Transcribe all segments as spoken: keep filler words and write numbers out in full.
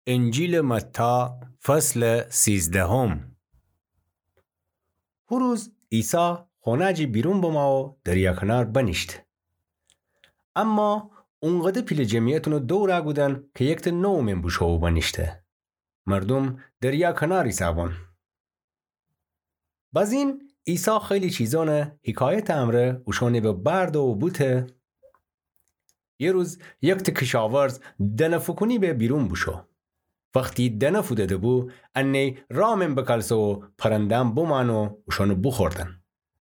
انجیلٚ متی، فصلٚ سیزدهم. هو روز عیسی خونه‌جی بیرون بمو و دریا کنار بنیشته. اما اونقدر پیله جمعیت اونٚ دور گودن کی یکته نو مین بوشو و بنیشته. مردوم دریا کنار ایسه‌بون. بزین عیسی خیلی چیزأنٚ حکایتٚ امرأ اوشأنٚ به برد و بوته. یه روز یکته کشاورز دنه فوکونی به بیرون بوشو. وختی دنه فوده‌ده‌بو، انه‌ی راه مین بکلسه و پرنده‌ام بمأنه و اوشأنٚ بوخوردن.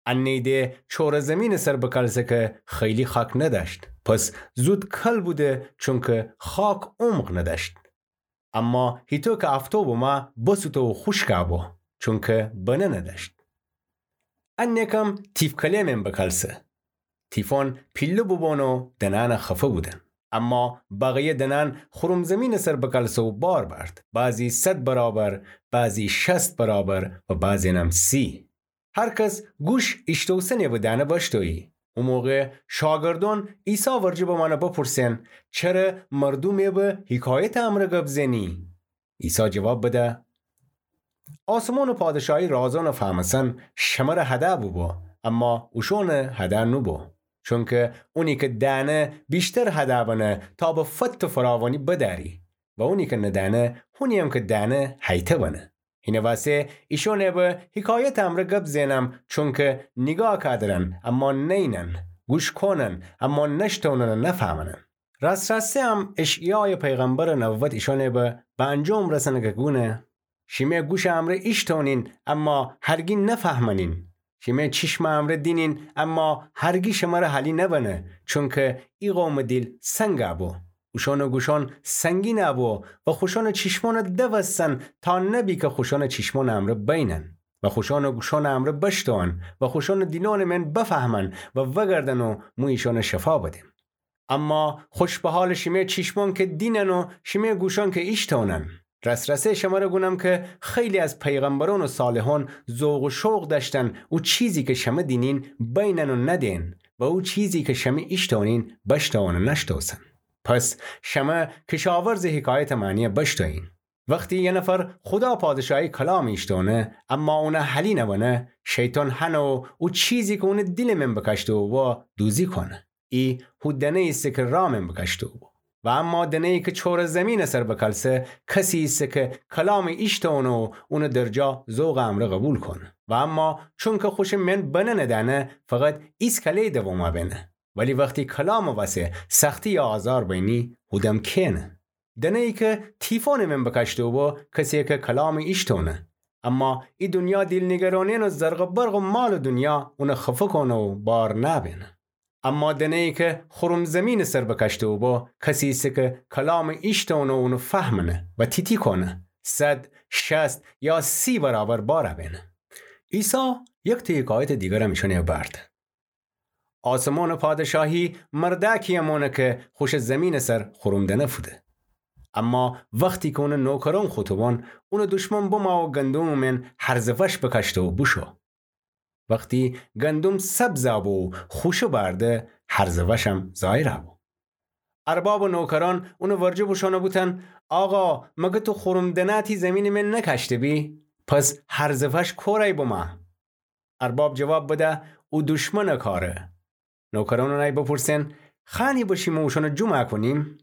انه‌ی ده چوره زیمینٚ سر بکلسه کی خیلی خاک ندأشت. پس زود کل بوده، چونکی خاک عمق ندأشت. اما هیتو کی افتو بمه، بسوته و خوشکه بو، چونکی بنه ندأشت. انه‌کم تیفکله مین بکلسه. تیفأن پیله بوبون و دنأن خفه بودن. اما بقیه دنأن خورم زیمینٚ سر بکلسه و بار بأرد. بعضی صد برابر، بعضی شصت برابر و بعضی‌نم سی. هر کس گوش ایشتوسنی به دنه بشتویی. او موقع شاگردأن عیسی ورجه بمأنه بپرسن: چره مردومٚ به حکایتٚ امرأ گب زنی؟ عیسی جواب بده: آسمانٚ پادشاهی رازأنٚ فهمسن شمره هده بوبو، اما اوشأنٚ هده نوبو. چونکی اونی کی دأنه ویشتر هده بنه تا به فت و فراوانی بدأری و اونی کی ندأنه، هونی‌یم کی دأنه هیته بنه. هینٚ وأسه ایشأنٚ به حکایتٚ امرأ گب زئنم، چونکی نیگاه کودرن اما نئینن، گوش کونن اما نشتونن و نفهمنن. راس‌راسته‌یم اشعیایٚ پیغمبرٚ نبوت ایشأنٚ به به انجام رسنه کی گونه: شیمه گوشٚ امرأ ایشتونین اما هرگی نفهمنین. شیمه چیشمٚ امرأ دینین اما هرگی شمره حالی نبنه، چونکی ای قومٚ دیل سنگ بو. اوشأنٚ گوشأن سنگین بو و خوشأنٚ چیشمأن دوستن تا نبی کی خوشأنٚ چیشمأنٚ امرأ بینن و خوشأنٚ گوشأنٚ امرأ بشتون و خوشأنٚ دیلأنٚ مئن بفهمن و وگردن و مو ایشأن شفا بدیم. اما خوش به حالٚ شیمه چیشمأن کی دینن و شیمه گوشأن کی ایشتونن. راس‌راسته‌یه شمره گونم کی خیلی از پیغمبرأن و صالحأن ذوق و شوق دأشتن او چیزی کی شمه دینین بینن و ندئن و او چیزی کی شمه ایشتونین بشتون و نشتوسن. پس شمه کشاورزٚ حکایتٚ معنی بشتویین. وختی یه نفر خودا پادشاهی کلام ایشتونه اما اون حالی نبنه، شیطان هنه و او چیزی کی اونٚ دیلٚ مئن بکشته بو دوزی کونه. ای هو دنه ایسه کی راه مئن بکشته بو. و اما دنه‌یی کی چوره زیمینٚ سر بکلسه، کسی ایسه کی کلام ایشتونه و اون درجا ذوقٚ امرأ قوبیل کونه. و اما چونکی خوشٚ مئن بنه ندأنه، فقط ایسکله دوما بینه. ولی وختی کلامٚ وأسه سختی یا آزار بینی، هودم کئنه. دنه‌یی کی تیفانٚ مئن بکشته بو، کسیه کی کلام ایشتونه. اما ای دونیا دیل نیگرانی‌یأن و زرق و برق و مالٚ دونیا اون خفه کونه و بار نبینه. اما دنه‌یی کی خورم زیمینٚ سر بکشته بو، کسی ایسه کی کلام ایشتونه و اون فهمنه و تی‌تی کونه، صد، شصت یا سی برابر بار بینه. عیسی یکته حکایتٚ دیگرم ایشأنٚ برد. آسمانٚ پادشاهی مردأکیی مانه کی خوشٚ زیمینٚ سر خورم دنه فوده. اما وختی کی اونٚ نوکرأن خوطبان، اونٚ دشمن بمو و گندمٚ مئن هرزٚ وش بکشته و بوشو. وختی گندم سبز بو و خوشه بأرده، هرزٚ وشم ظاهر بو. اربابٚ نوکرأن اونٚ ورجه بوشون و بوتن: آقا، مگر تو خورم دنه تی زیمینٚ مئن نکشته بی؟ پس هرزٚ وش کوره‌یی بمه؟ ارباب جواب بده: او دشمنٚ کاره. نوکرأن اونأی بپرسئن: خوأنی بشیم و اوشأن جمع کونیم؟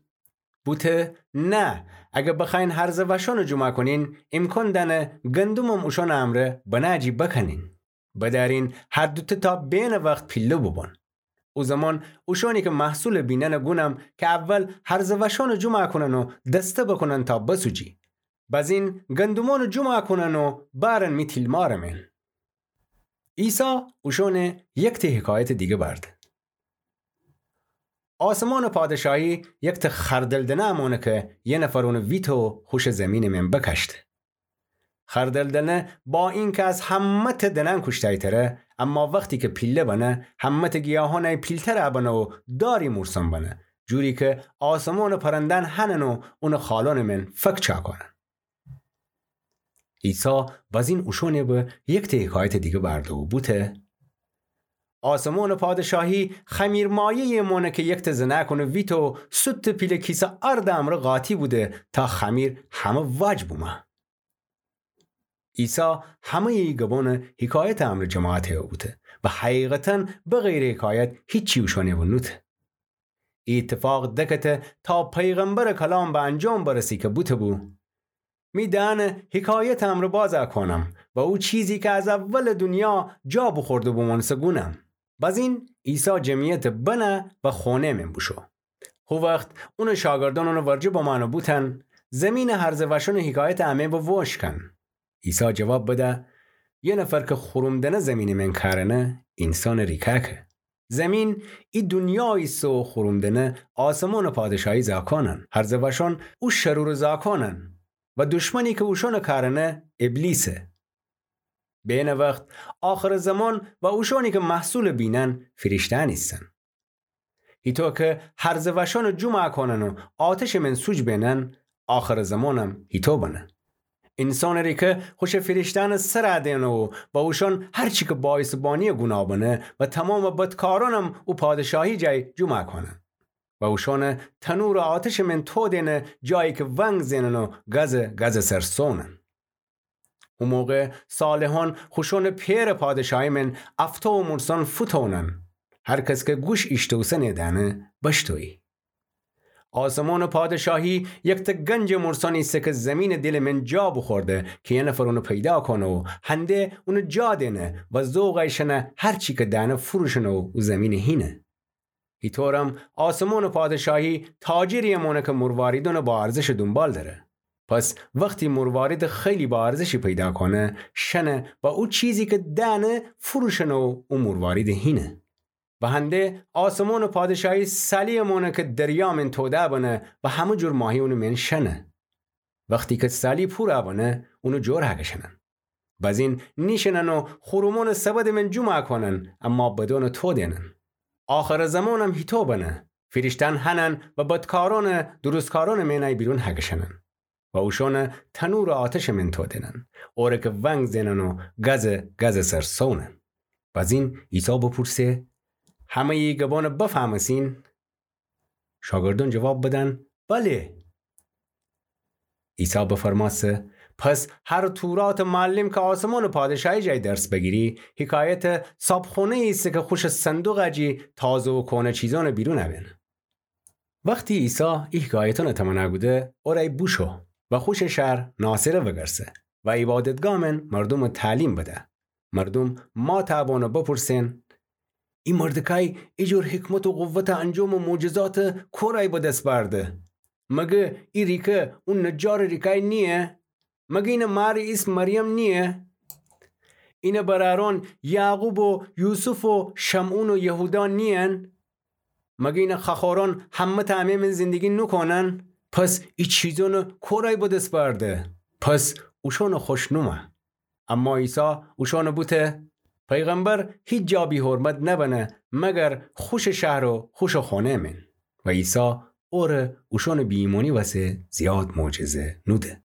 بوته: نه، اگر بخوأیین هرزٚ وشأن جمع کونین، امکان دأنه گندمم اوشأنٚ امرأ بنه جی بکنین. بدأرین هر دوته تا بئن وخت پیله بوبون. او زمان اوشأنی کی محصول بینن گونم کی اول هرزٚ وشأن جمع کونن و دسته بکونن تا بسوجی. بزین گندمأن جمع کونن و بأرن می تیلمارٚ مئن. عیسی اوشأن یکته حکایتٚ دیگه برده. آسمانٚ پادشاهی یکته خردل دنه مانه کی یه نفر اون ویته و خوشٚ زیمینٚ مئن بکشته. خردل دنه با اینکی از همه‌ته دنه‌ن کوشته‌یی تره، اما وختی کی پیله بنه، همه‌ته گیاهأنی پیلتر بنه و داری مورسن بنه، جوری کی آسمانٚ پرنده‌ن هنن و اونٚ خالأنٚ مئن فک چاکونن. عیسی بزین اوشأن به یکته حکایتٚ دیگه برده و بوته: آسمونٚ پادشاهی خمیرمایه‌یٚ مانه کی یکته زنأکونٚ ویتو سوتٚ پیله کیسه آرد امرأ قاطی بوده تا خمیر همه واج بومه. عیسی همه‌یٚ ای گبانٚ حکایتٚ امرأ جماعت هیبوته و حقیقتاً بغیرٚ حکایت هیچی اوشأنٚ و نوته. ای ایتفاق دکته تا پیغمبرٚ کلام به انجام برسی کی بوته‌بو: می دهنه حکایتٚ امرأ بازَ کونم و او چیزی کی از اولٚ دونیا جا بوخورده بومانسه گونم. بزین عیسی جمعیتٚ بنه و خونه‌یٚ مین بوشو. هو وخت اونٚ شاگردأن اونٚ ورجه بمأن و بوتن: زمینٚ هرزه وأشأنٚ حکایتٚ امه و ووش کن. عیسی جواب بده: یه نفر کی خوروم دنه زمینٚ مین کأرنه، اینسانٚ ریکأکه. زمین ای دونیا ایسه و خوروم دنه آسمونٚ پادشاهی زاکانن. هرزه وأشأن او شرورٚ زاکانن و دشمنی کی اوشأنٚ کأرنه ابلیسه. به اینه وخت آخرٚ زمان و اوشأنی کی محصولٚ بینن فیریشته‌یأن ایسن. هیطو کی هرزه وأشأنٚ جومعَ کونن و آتشٚ مین سوج بینن، آخرٚ زمانم هیطو بنه. اینسانٚ ریکه خوشٚ فیریشته‌یأنٚ سرَ دئنه و با اوشأن هر چی کی باعثٚ بانی‌یٚ گوناه بنه و تومامٚ بدکارأنم او پادشاهی جای جومعَ کونن و اوشأنٚ تنورٚ آتشٚ مین تو دئنه، جایی کی ونگ زئنن و گزٚ گزٚ سر سونن. او موقع صالحأن خوشأنٚ پئرٚ پادشاهی مین افتو و مرسأن فوتونن. هر کس کی گوش ایشتوسه نیدأنه بشتویی. آسمانٚ پادشاهی یکته گنجٚ مرسأنی ایسه کی زمینٚ دیلٚ مین جا بوخورده کی یه نفر اونٚ پیدا کونه و هنده اونٚ جا دئنه و ذوقَ ایشأنه هر چی کی دأنه فروشنه و او زمینٚ هینه. هیطورم آسمانٚ پادشاهی تاجری‌یٚ مانه کی مرواریدأنٚ با ارزشٚ دونبال دره. پس وختی مرواریدٚ خیلی با ارزشی پیدا کونه، شنه و او چیزی کی دأنه فروشنه و او مرواریدٚ هینه. و هنده آسمانٚ پادشاهی سالی‌یٚ مانه کی دریا مین توده بنه و همه جور ماهی اونٚ مین شنه. وختی کی سالی پورَ بنه، اونٚ جور هکشنن. بزین نیشینن و خورومأنٚ سبدٚ مین جومَ کونن، اما بدأنٚ تو دئنن. آخرٚ زمانم هیطو بنه. فیریشته‌یأن هنن و بدکارأنٚ درستکارأنٚ مینأی بیرون هکشنن و اوشأنٚ تنورٚ آتشٚ مین تو دئنن، اوره کی ونگ زئنن و گزٚ گزٚ سر سونن. بزین عیسی بپورسه: همه‌یٚ ای گبأنٚ بفهمسین؟ شاگردأن جواب بدن: بله. عیسی بفرمأسه: پس هر توراتٚ معلم کی آسمانٚ پادشاهی جای درس بیگیری، حکایتٚ صابخونه‌یی ایسه کی خوشٚ صندوقٚ جی تازه و کونه چیزأنٚ بیرون بئن. وختی عیسی ای حکایتأنٚ تمنا کوده، اورأی بوشو و خوشٚ شهر ناصره وگرسه و عبادتگاه مین مردومٚ تعلیم بده. مردوم ماتٚ بأن و بپورسن: ای مردکأی ای جور حکمت و قوتٚ انجام و معجزاتٚ کورأی به دس بأرده؟ مگه ای ریکه او نجارٚ ریکأی نییه؟ مگه اینٚ مارٚ ایسم مریم نییه؟ اینٚ برأرأن یعقوب و یوسف و شمعون و یهودا نیین؟ مگه اینٚ خوأخورأن همه تأ امه مین زندگی نوکونن؟ پس ای چیزأنٚ کورأی به دس بأرده؟ پس اوشأنٚ خوش نومه. اما عیسی اوشأنٚ بوته: پیغمبر هیچ جا بی‌حرمت نبنه مگر خوشٚ شهر و خوشٚ خونه‌یٚ مین. و عیسی اوره اوشأنٚ بی‌ایمأنی وسه زیاد معجزه نوده.